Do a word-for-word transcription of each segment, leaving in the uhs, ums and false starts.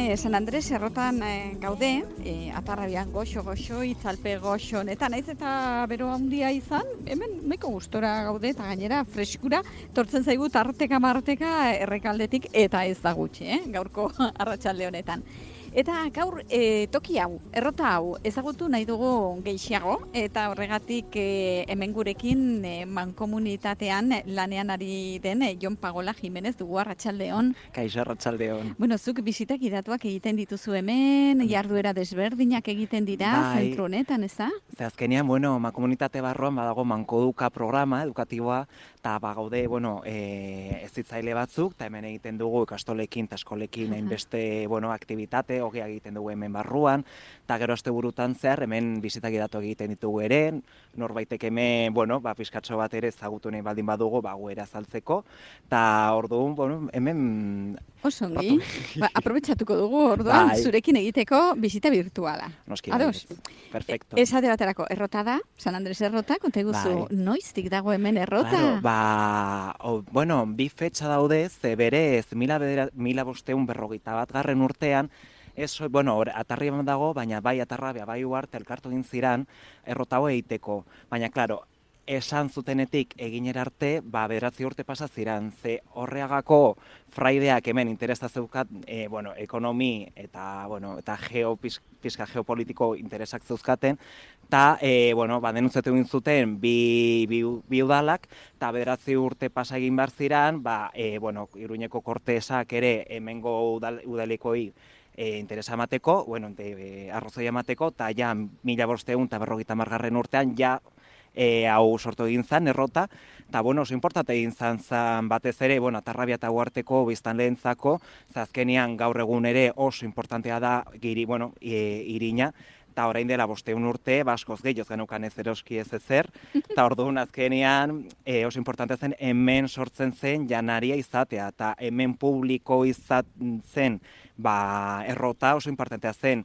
e, San Andres errotan e, gaude, e, atarrabian goxo-goxo, itzalpe goxo, eta naiz eta bero handia izan, hemen nahiko gustora gaude, eta gainera freskura, tortzen zaigu tarteka marteka errekaldetik, eta ez da gutxi, eh? Gaurko arratsalde honetan. Eta gaur e, toki hau, errota hau, ezagutu nahi dugu gehiago, eta horregatik e, hemen gurekin e, mankomunitatean lanean ari den e, Jon Pagola Jimenez dugu. Arratsaldeon. Kaixo, arratsaldeon. Bueno, zuk bisitak idatuak egiten dituzu hemen, jarduera desberdinak egiten dira, bai. Zentro honetan, ez da? Ze azkenean, bueno, mankomunitate barruan badago mankoduka programa edukatiboa, eta bagaude, bueno, e, ezitzaile batzuk, eta hemen egiten dugu ikastolekin eta eskolekin hainbeste, bueno, aktivitate, hogea egiten dugu hemen barruan, eta gero asteburutan zehar hemen bizitak idatu egiten ditugu ere, norbaitek hemen, bueno, ba, pizkatxo bat ere ezagutu nahi baldin badugu, ba, guera azaltzeko, eta orduan, bueno, hemen... Osongi, ba, aprobetxatuko dugu orduan bai. Zurekin egiteko bizita virtuala. Noski, Ados? Perfecto. E, esate baterako, errota da, San Andres errota, konta eguzu, Bai. noiztik dago hemen errota? Claro, ba, o, bueno, bi fetxa daude, ze berez, mila, bedera, mila bosteun berrogeita bat garren urtean, ez, bueno, atarri dago, baina bai atarrabia, bai uarte, elkartu egin ziran, errota hau egiteko. Baina, klaro, esan zutenetik eginera arte, ba, bederatzi urte pasa ziran, ze horreagako fraideak hemen interesa zeukat, e, bueno, ekonomi eta, bueno, eta geo, pizka geopolitiko interesak zeuzkaten, eta, e, bueno, ba, denuntzatu egin zuten bi, bi, bi udalak, eta bederatzi urte pasa egin behar ziran, ba, e, bueno, Iruñeko kortesak ere hemengo udal, udalikoi E, interesa emateko, bueno, e, arrozoi emateko, eta ja mila bosteun eta berrogeita margarren urtean ja e, hau sortu egin zan, errota, eta bueno, oso importante egin zan zan batez ere, bueno, atarrabia eta uarteko biztanleentzako, azkenean gaur egun ere oso importantea da giri, bueno, e, irina, eta orain dela bosteun urte, baskoz gehioz genukan ez eroski ez ezer, eta orduan azkenean e, oso importante zen hemen sortzen zen janaria izatea, eta hemen publiko izaten zen, ba, errota oso importantea zen.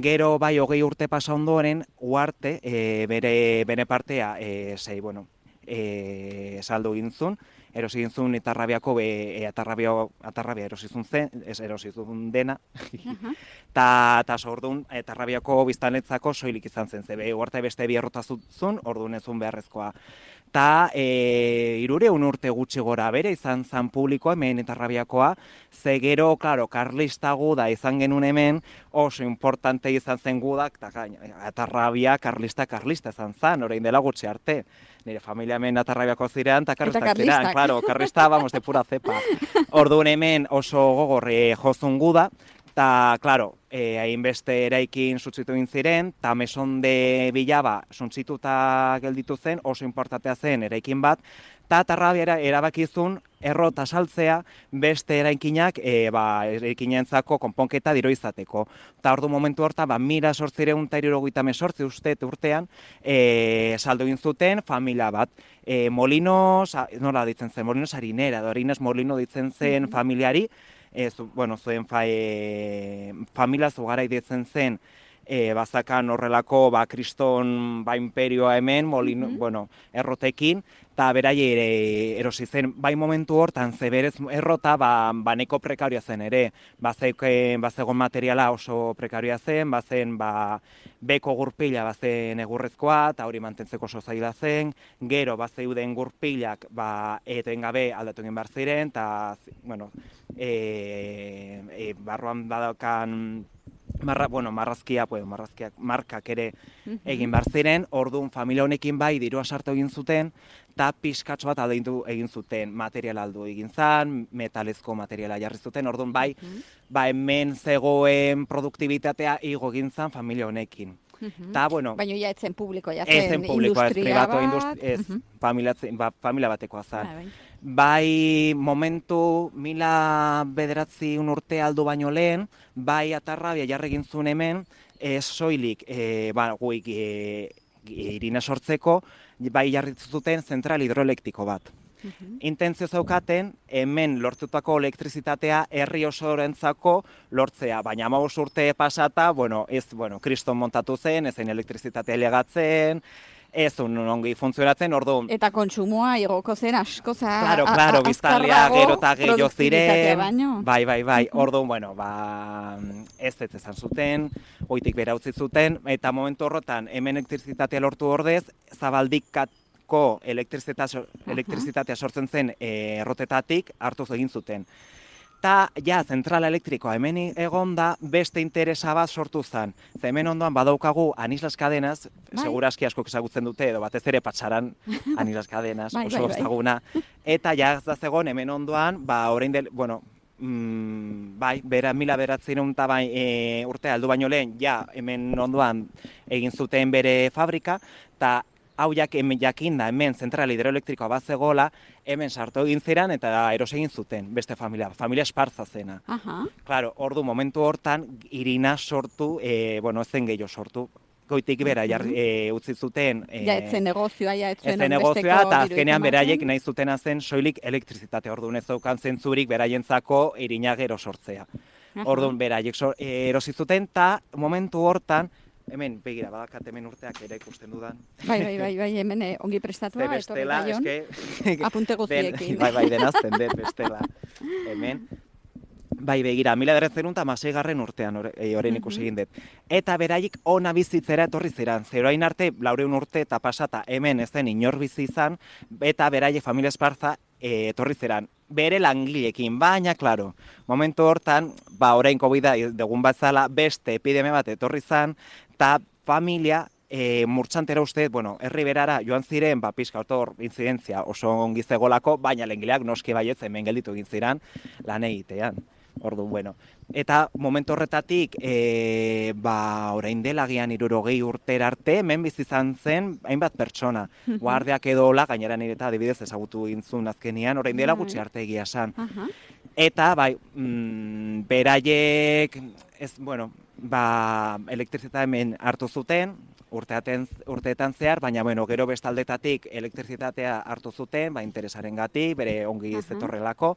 Gero bai hogei urte pasa ondoren, uarte, e, bere, bere partea, e, sei, bueno, e, saldu gintzun, erosi gintzun atarrabiako, e, atarrabia, atarrabia erosizun zen, ez erosizun dena, eta ta, orduan atarrabiako biztanletzako soilik izan zen, zebe uarte beste bi errota zuen, orduan ezun beharrezkoa. Eta e, irureun urte gutxi gora bere izan zan publikoa, hemen atarrabiakoa, ze gero, klaro, karlista guda izan genuen hemen, oso importante izan zen gudak, eta atarrabia karlista karlista izan zan, orain dela gutxi arte. Nire familia hemen atarrabiako zirean, eta karlistak zirean, klaro, karlista, vamos, de pura cepa. Orduan hemen oso gogorre jozun guda, eta, klaro, eh, hainbeste eraikin suntzitu egin ziren, eta meson de bilaba suntzituta gelditu zen, oso importantea zen eraikin bat, eta atarrabia erabakizun errota saltzea beste eraikinak e, ba, eraikinentzako konponketa diro izateko. Eta ordu momentu horta, ba, mila sortzireun eta hirurogeita hemezortzi uste urtean e, saldu egin zuten familia bat. E, Molinos, nola ditzen zen, Molinos harinera, Dorines Molino ditzen zen familiari, e, zu, bueno, zuen fa, e, familia zugarai ditzen zen, e, bazakan horrelako ba, kriston ba, imperioa hemen, Molino, mm-hmm. bueno, errotekin, eta berai ere erosi zen, bai momentu hortan, ze berez errota, ba, ba neko prekarioa zen ere, bazegon materiala oso prekarioa zen, bazen ba, beko gurpila bazen egurrezkoa, eta hori mantentzeko oso zaila zen, gero bazeuden gurpilak ba, etengabe aldatu egin behar ziren, eta, bueno, e, e, barruan badakan, Marra, bueno, marrazkia, pues, marrazkiak, markak ere egin behar ziren, orduan familia honekin bai dirua sartu egin zuten, eta pixkatxo bat aldeindu egin zuten, material aldu egin zan, metalezko materiala jarri zuten, orduan bai, ba hemen zegoen produktibitatea igo egin zan familia honekin. Ta, bueno, baina ja etzen publiko, ja zen publikoa, ez privatu, ez uh -huh. familia, ba, familia batekoa zan. Ah, bai momentu mila bederatzi un urte aldu baino lehen, bai atarrabia jarri egin zuen hemen, ez soilik, e, ba, guik e, irina sortzeko, bai jarri zuten zentral hidroelektiko bat. Uh-huh. Intentzio zaukaten, hemen lortutako elektrizitatea herri osorentzako lortzea, baina hamabost urte pasata, bueno, ez, bueno, kriston montatu zen, ezein elektrizitatea legatzen, ez un ongi funtzionatzen, orduan. Eta kontsumoa igoko zen asko za Claro, claro, biztanlea gero eta gehiago ziren. Baino. Bai, bai, bai. Orduan, bueno, ba ez ez izan zuten, goitik bera utzi zuten eta momentu horretan hemen elektrizitatea lortu ordez, Zabaldikako elektrizitatea, elektrizitatea sortzen zen e, errotetatik hartu egin zuten. Eta, ja, zentrala elektrikoa hemen egon da, beste interesa bat sortu zen. Ze hemen ondoan badaukagu Anislas Cadenas, bai. Segurazki asko ezagutzen dute, edo batez ere Patxaran Anislas Cadenas, bai, oso ezaguna. Bai, bai. Eta, ja, ez da zegoen hemen ondoan, ba, orain del, bueno, mm, bai, bera, mila beratzen eta bai, e, urtea aldu baino lehen, ja, hemen ondoan egin zuten bere fabrika, eta hau jak, hemen jakin da, hemen zentral hidroelektrikoa bat zegoela, hemen sartu egin ziren eta eros egin zuten, beste familia, familia Esparza zena. Aha. Claro, ordu momentu hortan, Irina sortu, e, bueno, ez zen gehiago sortu, goitik bera jar, e, utzi zuten. E, ja, etzen negozioa, ja, etzen etzen negozioa, eta azkenean beraiek nahi zutena zen soilik elektrizitate, orduan ez daukan zentzurik beraientzako Irina gero sortzea. Orduan beraiek so, e, erosi zuten, eta momentu hortan, hemen, begira, badakat hemen urteak ere ikusten dudan. Bai, bai, bai, bai, hemen eh, ongi prestatua, bestela, eske... apunte guztiekin. Bai, bai, denazten dut, bestela. Hemen, bai, begira, mila bederatziehun eta hamaseigarren urtean orain ikusi egin dut. Eta beraiek ona bizitzera etorri ziren. Zeroain arte, laureun urte eta pasata hemen ez zen inor bizi izan, eta beraiek familia Esparza e, etorri ziren. Bere langileekin, baina, klaro, momentu hortan, ba, orain COVID dugun batzala, beste epidemia bat etorri zan, eta familia e, murtxantera uste, bueno, herri berara joan ziren, ba, pixka otor, inzidentzia oso ongi zegolako, baina lengileak noski baietz hemen gelditu egin ziren lan egitean. Orduan, bueno. Eta momentu horretatik, e, ba, orain dela gian hirurogei urtera arte, hemen bizi izan zen hainbat pertsona. Guardiak edo hola, gainera nire eta adibidez ezagutu gintzun azkenian, orain dela gutxi arte egia esan. Eta, bai, mm, beraiek, ez, bueno, ba, elektrizitatea hemen hartu zuten, urteaten, urteetan zehar, baina, bueno, gero bestaldetatik elektrizitatea hartu zuten, ba, interesarengatik, bere ongi zetorrelako,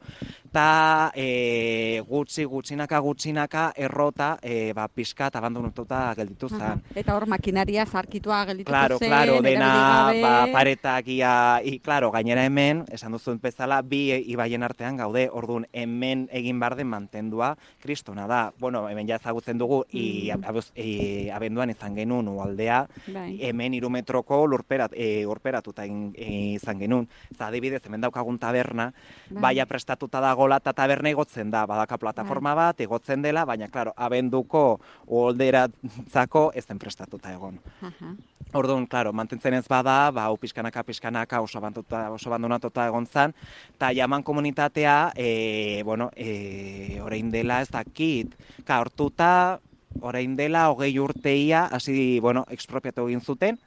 eta e, gutxi, gutxinaka, gutxinaka, errota, e, ba, pixkat abandonatuta gelditu zen. Eta hor makinaria zarkitua gelditu claro, zen, claro, dena, gabe... ba, paretak, ia, i, claro, gainera hemen, esan duzuen bezala, bi ibaien artean gaude, orduan hemen egin bar den mantendua, kristona da. Bueno, hemen ja ezagutzen dugu, mm. i, abuz, i, abenduan izan genuen ualdea, bai. Hemen hiru metroko lurperat, e, urperatuta e, izan genuen. Eta adibidez, hemen daukagun taberna, bai. Baia prestatuta dagoela, eta taberna igotzen da, badaka plataforma bai. Bat, igotzen dela, baina, klaro, abenduko ualderatzako ez den prestatuta egon. Aha. Orduan, klaro, mantentzen ez bada, ba, hau pixkanaka, pixkanaka oso, oso abandonatuta egon zen, eta jaman komunitatea, e, bueno, e, orain dela ez dakit, ka, hortuta, orain dela, hogei urteia, hasi, bueno, expropiatu egin zuten,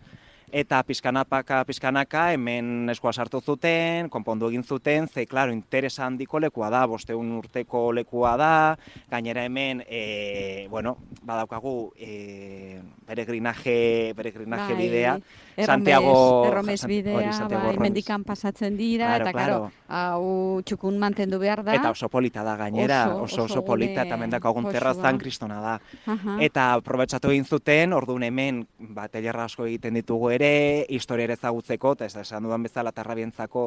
eta pizkanapaka, pizkanaka, hemen eskua sartu zuten, konpondu egin zuten, ze, klaro, interesa handiko lekua da, bosteun urteko lekua da, gainera hemen, e, bueno, badaukagu, e, peregrinaje, peregrinaje bai, bidea, erromes, Santiago... Erromes bidea, bai, mendikan pasatzen dira, claro, eta, claro, hau txukun mantendu behar da. Eta oso polita da gainera, oso, oso, oso, oso polita, eta mendakagun terrazan kristona da. Aha. Eta aprobetxatu egin zuten, orduan hemen, ba, tailerra asko egiten ditugu ere, historia ere ezagutzeko, eta ez da esan dudan bezala tarrabientzako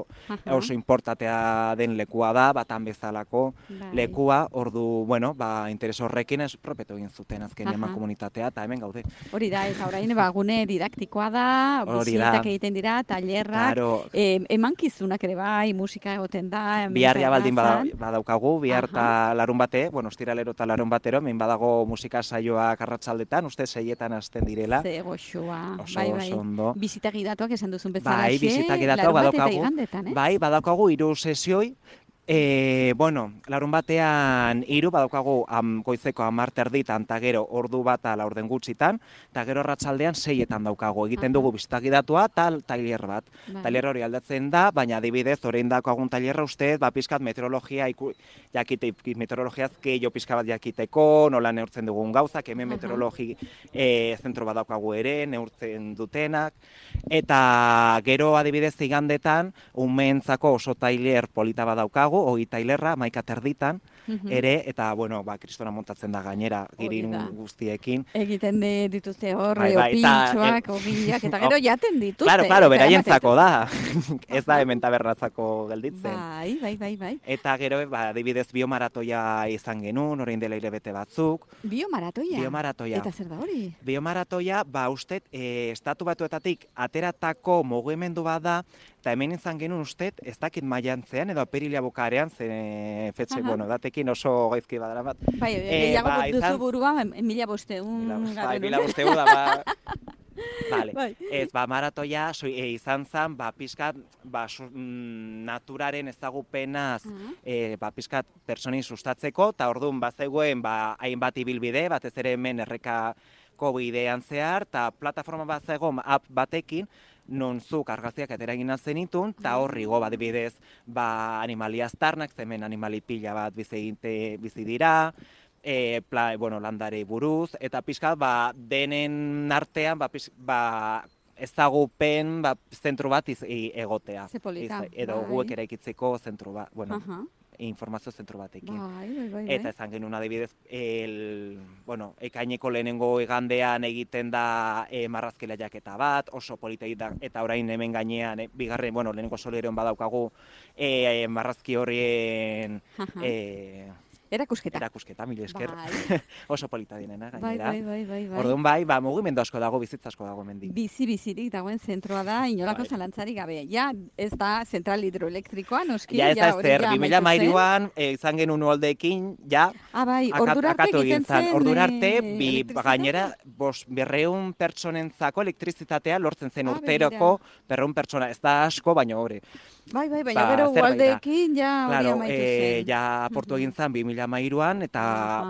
oso importatea den lekua da, batan bezalako bai. Lekua, ordu, bueno, ba, interes horrekin ez propetu egin zuten azken eman komunitatea, eta hemen gaude. Hori da, eta orain, ba, gune didaktikoa da, bizitak egiten dira, tailerrak, claro. eh, emankizunak ere bai, musika egoten da. Biharria baldin badaukagu, bihar eta larun bate, bueno, ostiralero eta larun batero, hemen badago musika saioak arratsaldetan, uste seietan hasten direla. Ze goxoa, oso, bai, bai. Oso ondo. Bizitagi datuak esan duzun bezala, bai, bizitagi datuak badaukagu, igandetan, eh? bai, badaukagu hiru sesioi, E, bueno, larun batean hiru badaukagu am, goizeko hamar terditan eta gero ordu bata laurden gutxitan, eta gero arratsaldean seietan daukagu. Egiten dugu bizitagi datua eta tailer bat. Bai. Tailer hori aldatzen da, baina adibidez, orain daukagun tailerra uste, ba, pizkat meteorologia, iku, jakite, meteorologiaz gehiago pizka bat jakiteko, nola neurtzen dugun gauzak, hemen meteorologi e, zentro bat daukagu ere, neurtzen dutenak, eta gero adibidez igandetan, umeentzako oso tailer polita bat daukagu, hori tailerra, maika terditan, ere, eta, bueno, ba, kristona montatzen da gainera, girin guztiekin. Egiten dituzte horre, opintxoak, ogiak, eta gero jaten dituzte. Claro, claro, beraientzako da. Ez da hemen tabernatzako gelditzen. Bai, bai, bai, bai. Eta gero, ba, adibidez, biomaratoia izan genuen, orain dela hilabete batzuk. Biomaratoia? Biomaratoia. Eta zer da hori? Biomaratoia, ba, ustet, e, estatu batuetatik ateratako mugimendu bat da, eta hemen izan genuen ustet, ez dakit maiantzean, edo apirilia bukarean, zen fetxe, bueno, datekin oso gaizki badara bat. Bai, gehiago e, ba, duzu izan... burua, mila bosteun. Bai, mila bosteun da, ba... Vale. Bai. Ez, ba, maratoia so, e, izan zen, ba, pizkat, ba, su, mm, naturaren ezagupenaz, uh -huh. e, ba, pizkat personin sustatzeko, eta orduan, ba, zegoen, ba, hainbat ibilbide, batez ere hemen errekako bidean zehar, eta plataforma bat zegoen, app batekin, non zuk argazkiak ateragina zenitun, eta horri go, badibidez, ba, animalia aztarnak, zemen animali pila bat bizi, bizi dira, E, pla, bueno, landare buruz, eta pixka, ba, denen artean, ba, pix, ba, ezagupen, ba, zentru bat iz, i, egotea. Zepolita. Iz, edo bai. Guek eraikitzeko zentru bat, bueno, uh -huh. informazio zentru batekin. Bai, bai, bai, eta ezan genuen adibidez, el, bueno, ekaineko lehenengo igandean egiten da e, marrazkela jaketa bat, oso polita da, eta orain hemen gainean, e, bigarren, bueno, lehenengo soleron badaukagu, e, e, marrazki horien... Uh -huh. e, Erakusketa. Erakusketa, mila esker. Bai. Oso polita dinena, gainera. Bai, bai, bai, bai. Orduan bai, ba, mugimendu asko dago, bizitza asko dago hemendik. Bizi-bizirik dagoen zentroa da, inolako bai. Zalantzarik gabe. Ja, ez da zentral hidroelektrikoa, noski. Ja, ez da ezer, bi mila hamairuan, e, izan genuen uoldeekin, ja, ah, bai, ordurarte egiten zen. Ordurarte, bi, gainera, bos, berreun pertsonentzako elektrizitatea lortzen zen ah, urteroko, berreun pertsona, ez da asko, baina hori. Bai, bai, baina ba, gero uoldeekin, ja, hori claro, amaitu e, zen. Ja, aportu egin zen, bi mila hamairuan, eta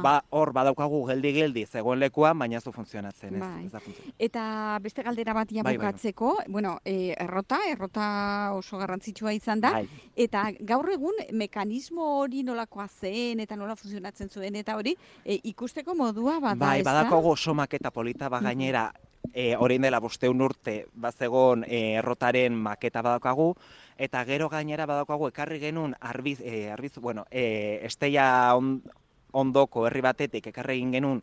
ba, hor badaukagu geldi-geldi zegoen lekuan, baina ez du funtzionatzen. Bai. Ez, ez funtzionatzen. Eta beste galdera bat bukatzeko, bai, bai. bueno, e, errota, errota oso garrantzitsua izan da, bai. Eta gaur egun mekanismo hori nolakoa zen, eta nola funtzionatzen zuen, eta hori e, ikusteko modua bada, bai, ez da? Bai, badaukagu oso maketa polita bagainera, e, orain dela bosteun urte, bazegon e, errotaren maketa badaukagu, eta gero gainera badaukagu ekarri genuen arbiz, e, arbiz bueno, e, esteia on, ondoko herri batetik ekarri egin genuen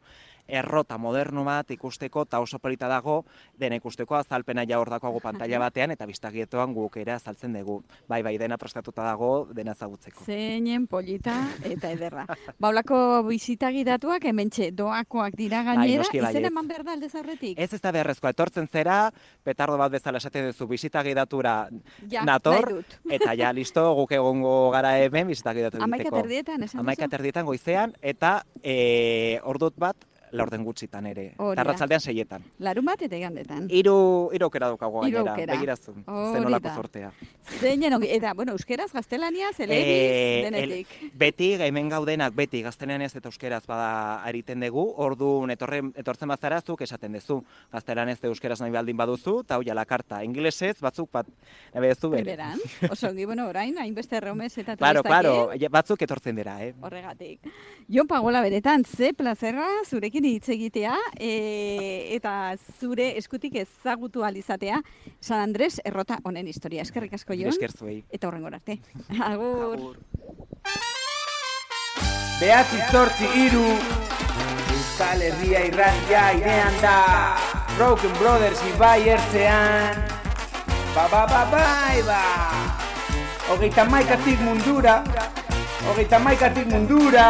errota moderno bat ikusteko, eta oso polita dago, dena ikusteko azalpena ja hor dagoago pantalla batean, eta bistagietoan guk ere azaltzen dugu. Bai, bai, dena prestatuta dago, dena ezagutzeko. Zeinen polita eta ederra. Baulako bizitagi datuak hementxe doakoak dira gainera, bai, izen eman behar da aldez aurretik? Ez ez da beharrezkoa, etortzen zera, petardo bat bezala esaten duzu bizitagi datura ja, nator, eta ja, listo, guk egongo gara hemen bizitagi datu egiteko. Amaika terdietan, esan duzu? Amaika terdietan goizean, eta e, ordut bat, laurden gutxitan ere, arratzaldean seietan. Larun bat eta igandetan. Hiru hiru aukera daukago gainera, begirazun, zenolako sortea. Zeinen, eta, bueno, euskeraz, gaztelaniaz, elebiz, e, denetik. El, beti, hemen gaudenak, beti, gaztelaniaz eta euskeraz bada ariten dugu, orduan etorren, etortzen bazara zuk esaten duzu, gaztelanez eta euskeraz nahi baldin baduzu, eta hoi ala karta, inglesez, batzuk bat, nabe duzu bere. Beran, oso ongi, bueno, orain, hainbeste erromez eta claro, claro, batzuk etortzen dira, eh? Horregatik. Jon Pagola beretan, ze plazerra zurekin hitz egitea e, eta zure eskutik ezagutu alizatea San Andres errota honen historia. Eskerrik asko, Jon. Esker zuei. Eta horrengora arte. Agur. Agur. Behatzi zortzi hiru Euskal Herria irratia irean da Broken Brothers ibai ertzean Ba ba ba bai ba Hogeita maikatik mundura Hogeita maikatik mundura